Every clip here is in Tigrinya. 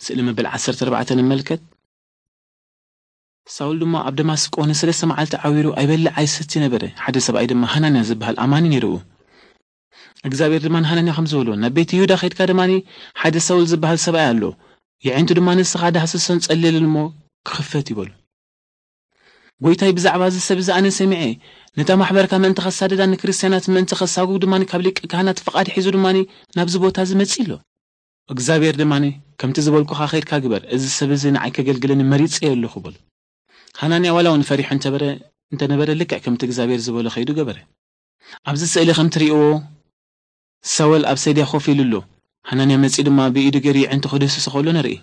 ስእሊ መበል ዓሰርተ ኣርባዕተ ንመልከት። ሳውል ድማ ኣብ ደማስቆ ንሰለስተ መዓልቲ ዓዊሩ ኣይበልዕ ኣይሰቲ ነበረ። ሓደ ሰብኣይ ድማ ሃናንያ ዝበሃል ኣማኒ ነይርኡ። እግዚኣብሔር ድማ ንሃናንያ ከም ዝበሎ፣ ናብ ቤት ይሁዳ ኸይድካ ድማ ሓደ ሳውል ዝበሃል ሰብኣይ ኣሎ፣ የዒንቱ ድማ ንስኻ ዳህስሶን ጸልየልን እሞ ክኽፈት ይበሉ። ጎይታይ ብዛዕባ እዚ ሰብ እዚ ኣነ ሰሚዐ፣ ነታ ማሕበርካ ምእንቲ ኸሳድዳ ንክርስትያናት ምእንቲ ኸሳጉግ ድማ ካብ ሊቀ ካህናት ፍቓድ ሒዙ ድማ ናብዚ ቦታ እዚ መጺእ ኣሎ። እግዚኣብሔር ድማ ከምቲ ዝበልኩኻ ኸይድካ ግበር፣ እዚ ሰብ እዚ ንዓይ ከገልግለኒ መሪጸዮ ኣለኹ በሉ። ሃናንያ ዋላ እውን ፈሪሑ እንተበረ እንተነበረ ልክዕ ከምቲ እግዚኣብሔር ዝበሎ ኸይዱ ገበረ። ኣብዚ ስእሊ ከም ትርእይዎ ሳወል ኣብ ሰድያ ኮፍ ኢሉ ኣሎ። ሃናንያ መጺኡ ድማ ብኢዱ ገይሩ የዕንቱ ክድህስሶ ከሎ ንርኢ።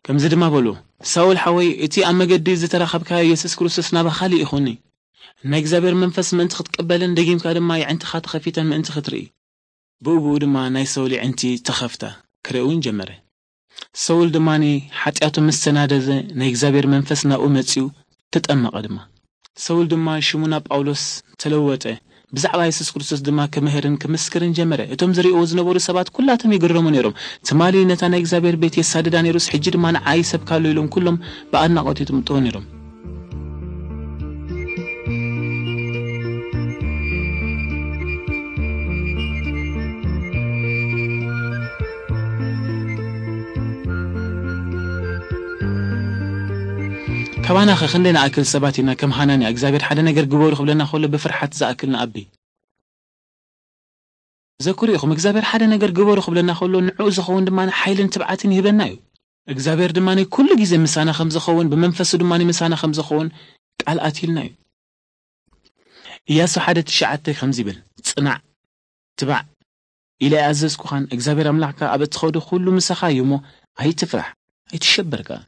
ከምዚ ድማ በሉ፣ ሳውል ሓወይ፣ እቲ ኣብ መገዲ ዝተራኸብካዮ የሱስ ክርስቶስ ናባኻ ልኢኹኒ። ናይ እግዚኣብሔር መንፈስ ምእንቲ ክትቅበልን ደጊምካ ድማ የዕንትኻ ተኸፊተን ምእንቲ ክትርኢ። ብኡ ብኡ ድማ ናይ ሰውል የዕንቲ ተኸፍታ፣ ክርኢ እውን ጀመረ። ሰውል ድማ ሓጢኣቱ ምስ ተናደዘ ናይ እግዚኣብሔር መንፈስ ናብኡ መጺኡ ተጠመቐ ድማ። ሰውል ድማ ሽሙ ናብ ጳውሎስ ተለወጠ። ብዛዕባ የሱስ ክርስቶስ ድማ ክምህርን ክምስክርን ጀመረ። እቶም ዝርእይዎ ዝነበሩ ሰባት ኩላቶም ይግረሙ ነይሮም። ትማሊ ነታ ናይ እግዚኣብሔር ቤት የሳድዳ ነይሩስ፣ ሕጂ ድማ ንዓይ ይሰብካ ኣሎ ኢሎም ኩሎም ብኣድናቖት ይጥምጥዎ ነይሮም። ካባና ኸ ክንደይ ንኣክል ሰባት ኢና ከም ሃናንያ እግዚኣብሔር ሓደ ነገር ግበሩ ክብለና ከሎ ብፍርሓት ዝኣክል ንኣቢ? ዘክሩ ኢኹም፣ እግዚኣብሔር ሓደ ነገር ግበሩ ክብለና ከሎ ንዕኡ ዝኸውን ድማ ሓይልን ትብዓትን ይህበና እዩ። እግዚኣብሔር ድማ ኩሉ ግዜ ምሳና ከም ዝኸውን፣ ብመንፈሱ ድማ ምሳና ከም ዝኸውን ቃል ኣትዩልና እዩ። ኢያሱ ሓደ ትሽዓተ ከምዚ ይብል፣ "ጽናዕ፣ ትባዕ ኢለ ኣይኣዘዝኩኻን? እግዚኣብሔር ኣምላኽካ ኣብ እትኸዶ ኩሉ ምሳኻ እዩ እሞ ኣይትፍራሕ፣ ኣይትሸበር ከኣ።